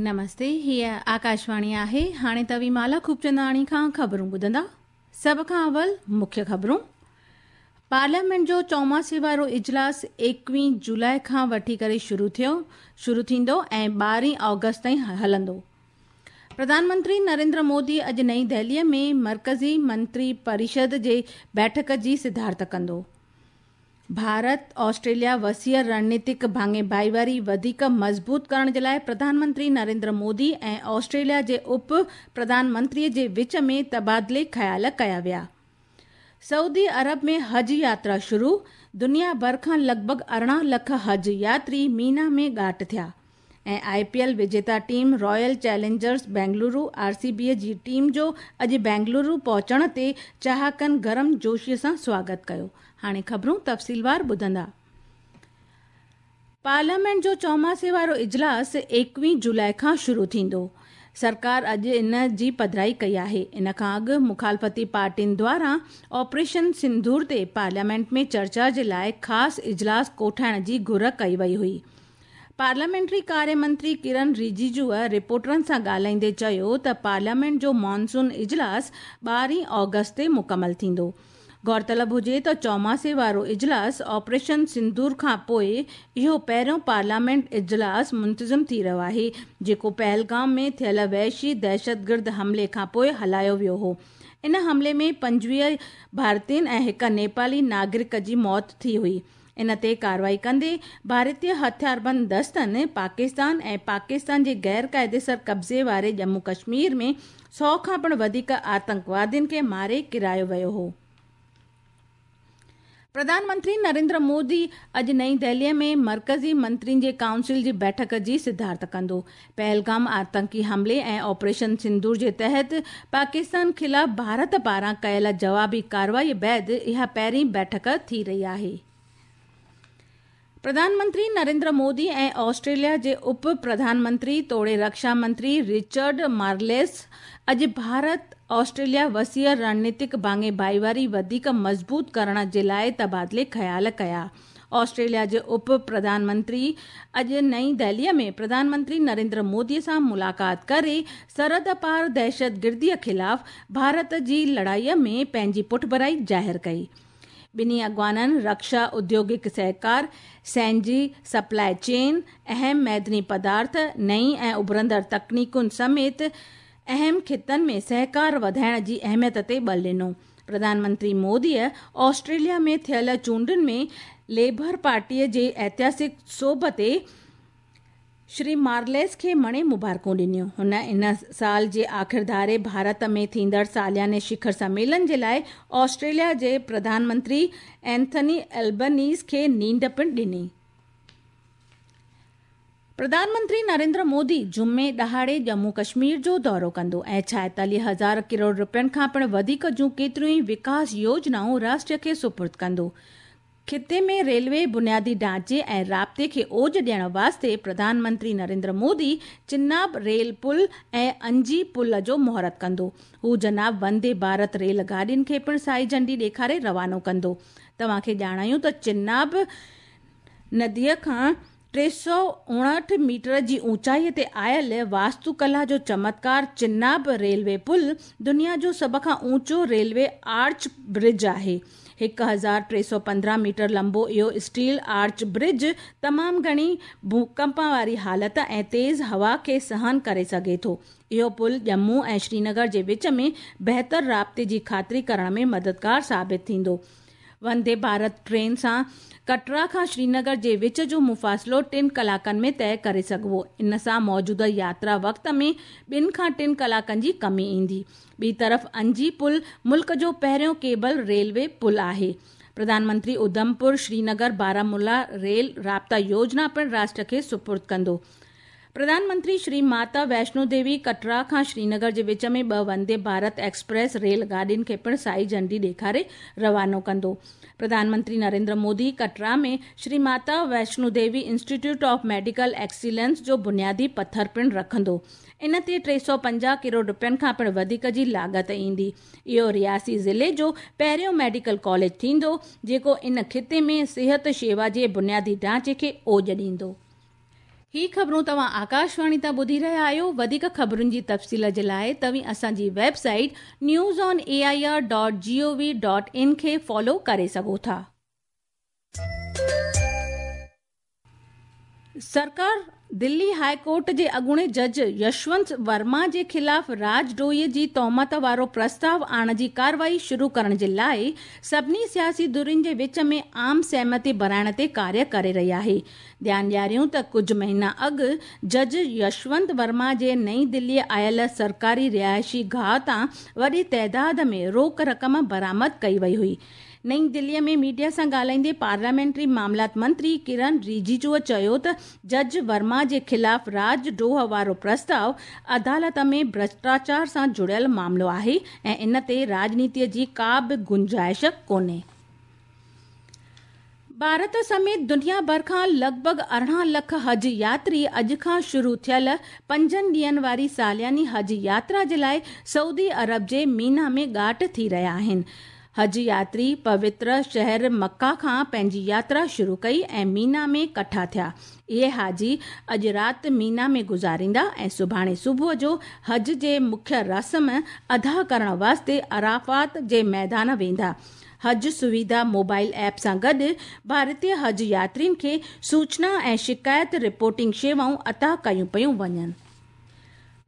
نمستي، هيء آڪاشواڻي آهي. هاڻي توهين مالا خوبچنداڻي کان خبرون ٻڌندا. سڀ کان اول مکيه خبرون. پارليامينٽ جو چوماسي وارو اجلاس ايڪويهين جولاء کان وٺي ڪري شروع ٿيو شروع ٿيندو ۽ ٻارهين آگسٽ تائين هلندو. پرڌان منتري نريندر مودي اڄ نئين دهليء ۾ مرڪزي منتري پريشد جي بيٺڪ جي صدارت ڪندو. ڀارت آسٽريليا وسيع رڻنيتڪ ڀاڱي ڀائيواري وڌيڪ مضبوط ڪرڻ جي لاء پرڌان منتري نريندر مودي ۽ آسٽريليا جي اپ پرڌان منتري جي وچ ۾ تبادلي خيال ڪيا ويا. سعودي عرب ۾ حج ياترا شروع، دنيا ڀر کان لڳ ڀڳ 18 لک حج ياتري مينا ۾ ڳاٽ ٿيا ۽ آء پي ايل وجيتا team Royal Challengers Bengaluru, R C B, جي ٽيم جو اڄ بينگلورو پهچڻ تي چاهڪن گرم جوشي سان سواگت ڪيو. هاڻي خبرون تفصيلوار ٻڌندا. پارليامينٽ جو چوماسي وارو اجلاس ايڪويهين جولاء کان شروع ٿيندو. سرڪار اڄ ان جي پڌرائي ڪئي آهي. ان کان اڳ مخالفتي پارٽين دواران آپريشن سنڌور تي پارليامينٽ ۾ چرچا جي لاء خاص اجلاس ڪوٺائڻ جي گهر ڪئي وئي هئي. پارليامينٽري ڪاريه منتري ڪرن رجيجوء رپورٽرن سان ڳالهائيندي چيو ته پارليامينٽ جو مانسون اجلاس ٻارهين آگسٽ تي مڪمل ٿيندو. غور طلب هجي ته چوماسي وارو اجلاس آپريشن سندور کان پوء اهو پهريون پارليامينٽ اجلاس منتظم ٿي رهيو آهي جيڪو پهلگام ۾ ٿيل وحشي دهشتگرد حملي کان پوء هلايو ويو هو. ان حملي ۾ 25 ڀارتين ۽ هڪ نيپالي ناگرڪ جي موت ٿي هئي. ان تي ڪارروائي ڪندي ڀارتي هٿياربند دستن پاڪستان ۽ پاڪستان جي غير قاعديسر قبضي واري ڄمون ڪشمير ۾ 100 کان پڻ وڌيڪ آتنڪوادين کي ماري ڪيرايو ويو هو. پرڌان منتري نريندر مودي اڄ نئين دهليء ۾ مرڪزي منترين جي ڪائونسل جي بيٺڪ جي صدارت ڪندو. پهلگام آتنڪي حملي ۽ آپريشن سندور جي تحت پاڪستان خلاف ڀارت پاران ڪيل جوابي ڪارروائي بعد اها پهرين بيٺڪ ٿي رهي آهي. پرڌان منتري نريندر مودي ۽ آسٽريليا جي اپ پرڌان منتري توڙي رڪشا منتري رچرڊ مارليس اڄ ڀارت آسٽريليا وسيع رڻنيتڪ ڀاڱي ڀائيواري وڌيڪ مضبوط ڪرڻ جي لاء تبادلي خيال ڪيا. آسٽريليا جي اپ پرڌان منتري اڄ نئين دهليء ۾ پرڌان منتري نريندر مودي سان ملاقات ڪري سرحد پار دهشتگرديء خلاف ڀارت جي لڙائيء ۾ پنهنجي پٺڀرائي ظاهر ڪئي. ٻنهي اڳواڻن رڪشا اديوگڪ سهڪار، سينجي سپلاء چين، اهم معدني پدارٿ، نئين ۽ اڀرندڙ تڪنيڪن سميت اهم خطن ۾ سهڪار وڌائڻ جي اهميت تي ٻل ڏنو. پرڌان منتري موديء آسٽريليا ۾ ٿيل چونڊن ۾ ليبر پارٽيء جي اتهاسڪ سوڀ تي شري مارليس کي مڻي مبارڪون ڏنيون. هن ان سال جي آخر ڌاري ڀارت ۾ ٿيندڙ سالياني شکر سميلن جي لاء آسٽريليا جي پرڌان منتري اينٿني البنيز کي نينڍ پڻ ڏني. پرڌان منتري نريندر مودي جمعي ڏهاڙي ڄمون ڪشمير جو دورو ڪندو ۽ 46 هزار ڪروڙ رپين کان پڻ وڌيڪ جون ڪيتريون ئي وڪاس يوجنائون راشٽر کي سپرد ڪندو. خطي ۾ ريلوي بنيادي ڍانچي ۽ رابطي کي اوج ڏيڻ واسطي پرڌان منتري نريندر مودي چناب ريل پل ۽ انجي پل جو مهورت ڪندو. هو جناب وندي ڀارت ريل گاڏين کي پڻ سائي جهنڊي ڏيکاري روانو ڪندو. توهان کي ڄاڻايون ته چناب نديء کان 359 ميٽر جي اوچائي تي آيل واستوڪلا جو چمتڪار چناب ريلوي پل دنيا جو سڀ کان اوچو ريلوي آرچ برج آهي. 1315 ميٽر لنبو اهو اسٽيل آرچ برج تمام گهڻي ڀوڪمپ واري حالت ۽ تيز هوا کي سهن ڪري سگهي ٿو. اهو پل ڄمون ۽ شرينگر جي وچ ۾ بهتر رابطي جي خاطري ڪرڻ ۾ مددگار ثابت ٿيندو. وندي ڀارت ٽرين سان ڪٽرا کان شرينگر جي وچ جو مفاصلو 3 ڪلاڪن ۾ طئي ڪري سگهبو. ان سان موجوده ياترا وقت ۾ 2 کان 3 ڪلاڪن جي ڪمي ايندي. ٻي طرف انجي پل ملڪ جو پهريون ڪيبل ريلوي پل آهي. پرڌان منتري اڌمپور شرينگر بارامولا ريل رابطا يوجنا پڻ راشٽر کي سپرد ڪندو. پرڌان منتري شري ماتا ويشنو ديوي ڪٽرا کان شرينگر جي وچ ۾ 2 وندي ڀارت ايڪسپريس ريل گاڏين کي پڻ سائي جهنڊي ڏيکاري روانو ڪندو. Pradhan Mantri Narendra Modi ڪٽرا ۾ Shri Mata Vaishno Devi institute of medical excellence جو بنيادي پٿر پڻ رکندو. ان تي 350 ڪروڙ رپين کان پڻ وڌيڪ جي لاڳت ايندي. اهو رياسي ضلعي جو پهريون ميڊيڪل ڪاليج ٿيندو جيڪو ان خطي ۾ صحت شيوا جي بنيادي ڍانچي کي اوڄ ڏيندو. هي خبرون توهان آڪاشواڻي تان ٻڌي رهيا آهيو. وڌيڪ خبرن جي تفصيل جي لاءِ توهين اسان جي website news on A I R dot G O V dot in کي فالو ڪري سگهو ٿا. سرڪار دلي هاء ڪورٽ جي اڳوڻي جج يشونت ورما جي خلاف راڄ ڊوهي جي تهمت وارو پرستاءُ آڻڻ جي ڪارروائي شروع ڪرڻ جي لاءِ سڀني سياسي ڌرين جي وچ ۾ عام سهمتي بڻائڻ تي ڪاريه ڪري رهي آهي. ڌيان ڏياريون ته ڪجهه مهينا اڳ جج يشونت ورما جي نئين دلي آيل سرڪاري رهائشي گاهه تان وڏي تعداد ۾ روڪ رقم برآمد ڪئي وئي هئي. نئين دلي ۾ ميڊيا سان ڳالهائيندي پارليامينٽري معاملات منتري ڪرن رجيجو چيو ته جج ورما جي خلاف راڄ ڊوهه وارو پرستاءُ عدالت ۾ ڀرشٽاچار سان جڙيل معاملو آهي ۽ ان تي راڄنيتي جي ڪا به گنجائش ڪونهي. ڀارت سميت دنيا ڀر کان لڳ ڀڳ 18 لک حج ياتري اڄ کان شروع ٿيل 5 ڏينهن واري سالياني حج ياترا جي لاءِ سعودي عرب جي مينا ۾ ڳاٽ ٿي رهيا آهن. حج ياتري پوتر شهر مڪه کان پنهنجي ياترا شروع ڪئي ۽ مينا ۾ ڪٺا ٿيا. اهي حاجي اڄ رات مينا ۾ گذاريندا ۽ سڀاڻي صبح جو حج جي مکيه رسم ادا ڪرڻ واسطي عرفات جي ميدان ويندا. حج سوڌا موبائل ايپ سان گڏ ڀارتيه حج ياترين کي سوچنا ۽ شڪايت رپورٽنگ شيوائون عطا ڪيون پيون وڃن.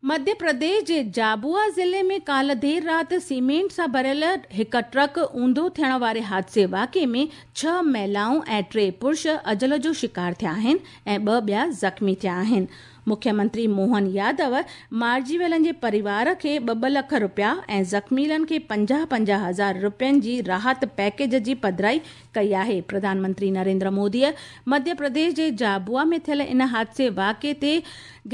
مڌيه پرديش جي جابوا ضلعي ۾ ڪالهه دير رات سيمينٽ سان ڀريل هڪ ٽرڪ اونڌو ٿيڻ واري حادثي واقعي ۾ 6 مهلائون ۽ 3 پرش اجل جو شڪار ٿيا آهن ۽ 2 ٻيا زخمي ٿيا آهن. مکيه منتري موهن يادو مارجي ويلن جي پريوار کي 2-2 لک رپيا ۽ زخميلن کي 50-50 هزار رپين جي راحت پيڪيج جي پڌرائي ڪئي آهي. پرڌان منتري نريندر موديءَ مڌيه پرديش جي جابوا ۾ ٿيل ان حادثي واقعي تي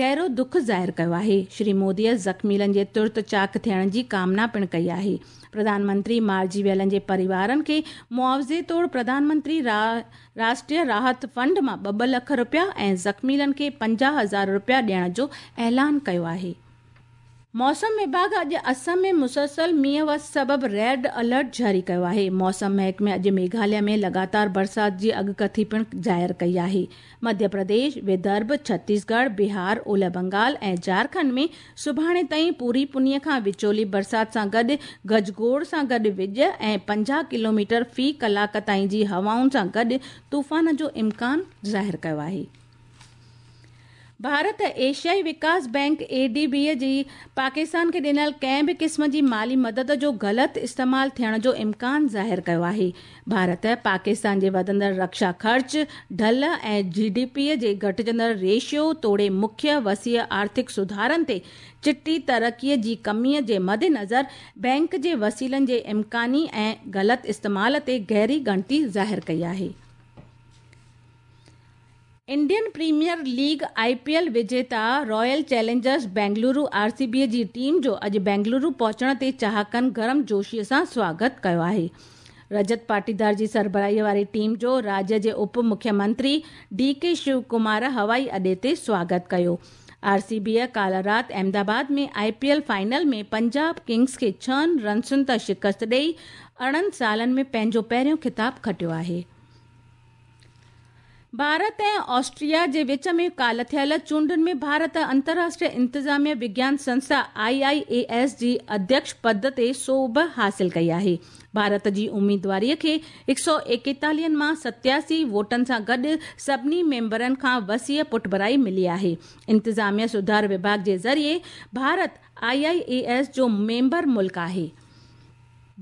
گهرو دک ظاهر ڪيو آهي. شري موديءَ زخميلن جي ترت چاڪ ٿيڻ جي ڪامنا پڻ ڪئي آهي. پرڌان منتري مارجي ويلن جي پريوارن کي معاوضي طور پرڌان منتري راشٽريه راحت فنڊ مان 2-2 لک رپيا ۽ زخميلن کي 50 هزار رپيا ڏيڻ جو اعلان ڪيو آهي. موسم وڀاڳ اڄ اسم ۾ مسلسل مينهن وس سبب ريڊ الرٽ جاري ڪيو آهي. موسم محڪمي اڄ ميگهاليه ۾ لڳاتار برسات جي اڳڪٿي پڻ ظاهر ڪئي آهي. مڌيه پرديش، ودرڀ، ڇتيسڳڙهه، بهار، اولهه بنگال ۽ جهارکنڊ ۾ سڀاڻي تائين پوري پنيءَ کان وچولي برسات سان گڏ گجگوڙ سان گڏ وڄ ۽ 50 ڪلوميٽر في ڪلاڪ تائين جي هوائن سان گڏ طوفان جو امڪان ظاهر ڪيو آهي. ڀارت ايشيائي وڪاس بينڪ اي ڊي بي جي پاڪستان کي ڏنل ڪنهن به قسم جي مالي مدد جو غلط استعمال ٿيڻ جو امڪان ظاهر ڪيو آهي. ڀارت پاڪستان جي وڌندڙ رڪشا خرچ ڍل ۽ جي ڊي پي جي گهٽجندڙ ريشيو توڙي مکيه وسيع آرٿڪ سڌارن تي چٽي ترقيءَ جي ڪميءَ جي مدنظر بينڪ جي وسيلن جي امڪاني ۽ غلط استعمال تي گهري ڳڻتي ظاهر ڪئي آهي. Indian premier league I P L وجيتا Royal Challengers Bengaluru R C B جي ٽيم جو اڄ بينگلورو پهچڻ تي چاهڪن گرم جوشيءَ سان سواگت ڪيو آهي. رجت پاٽيدار جي سربراهيءَ واري ٽيم جو راجيه جي اپ مکيه منتري ڊي ڪي شو ڪمار هوائي اڏي تي سواگت ڪيو. آر سي بيءَ ڪالهه رات Ahmedabad ۾ I P L final ۾ Punjab Kings کي 6 رنسن تان شڪست ڏيئي 18 سالن ۾ پنهنجو پهريون خطاب کٽيو آهي. ڀارت ۽ آسٽريا جي وچ ۾ ڪالهه ٿيل چونڊن ۾ ڀارت انترراشٽريه انتظاميه وگيان سنسٿا I I A S جي اڌيڪش پد تي سوڀ حاصل ڪئي آهي. ڀارت جي اميدواريءَ کي 141 مان 87 ووٽن سان گڏ سڀني ميمبرن کان وسيع پٺڀرائي ملي آهي. انتظاميه سڌار وڀاڳ جي ذريعي Bharat I I A S جو ميمبر ملڪ آهي.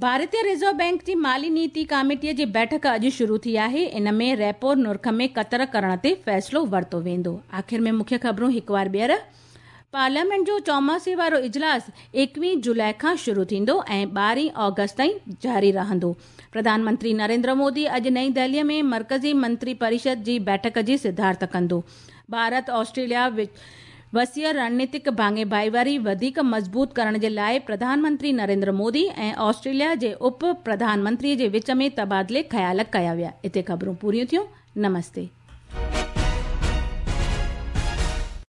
ڀارتيه رزرو بينڪ جي مالي نيتي ڪاميٽيءَ جي بيٺڪ اڄ شروع ٿي آهي. ان ۾ ريپو نرخ ۾ ڪتر ڪرڻ تي فيصلو ورتو ويندو. آخر ۾ مکيه خبرون هڪ وار ٻيهر. پارليامينٽ جو چوماسي وارو اجلاس 21 جولاءِ کان شروع ٿيندو ۽ 12 آگسٽ تائين جاري رهندو. پرڌان منتري نريندر مودي اڄ نئين دهليءَ ۾ مرڪزي منتري پريشد جي بيٺڪ جي صدارت ڪندو. ڀارت آسٽريليا وسيع رڻنيتڪ ڀاڱي ڀائيواري وڌيڪ مضبوط ڪرڻ جي لاءِ پرڌان منتري نريندر مودي ۽ آسٽريليا جي اپ پرڌان منتري جي وچ ۾ تبادلي خيال ڪيا ويا. هتي خبرون پوريون ٿيون. نمستي.